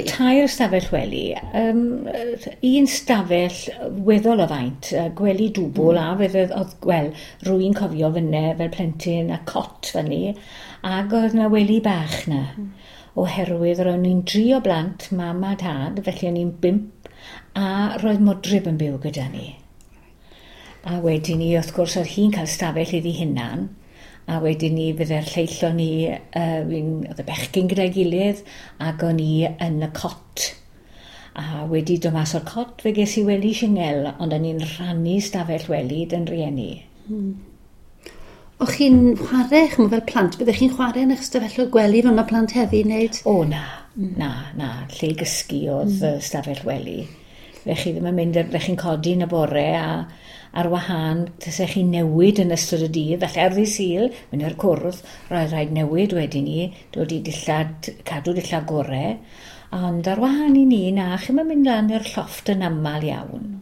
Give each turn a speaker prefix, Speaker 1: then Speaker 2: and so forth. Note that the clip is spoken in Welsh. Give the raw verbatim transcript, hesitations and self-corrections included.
Speaker 1: Tair stafell wely, um, un stafell weddol o faint, gwely dwbl mm. a fydde, oedd, wel, rwy'n cofio fyne fel plentyn a cot fyny, ac oedd 'na wely bach 'na. Mm. Oherwydd ro'n ni'n dri o blant, mam a tad, felly o'n i'n bump, a roedd modryb yn byw gyda ni. A wedyn ni, wrth gwrs, oedd hi'n cael stafell iddi hunan, a wedyn ni fydde'r lleill o'n ni, uh, oedd y bechgyn gyda'i gilydd, ac o'n i yn y cot. A wedi dod mas o'r cot, fe ges i wely singl, ond o'n i'n rhannu stafell wely 'da'n rieni.
Speaker 2: Hmm. O'ch chi'n chwarae, ch'mo' fel plant, byddech chi'n chwarae yn eich stafelloedd gwely fel mae plant heddi wneud?
Speaker 1: O na, mm. na, na, lle i gysgu oedd mm. stafell wely. Fe chi ddim yn mynd, fe chi'n codi yn y bore a ar wahân, tasech chi'n newid yn ystod y dydd, felly ar ddydd Sul, mynd i'r cwrdd, roedd rhaid newid wedyn ni, dod i dillad, cadw dillad gore, ond ar wahân i ni, na, chi'm yn mynd lan i'r llofft yn aml iawn.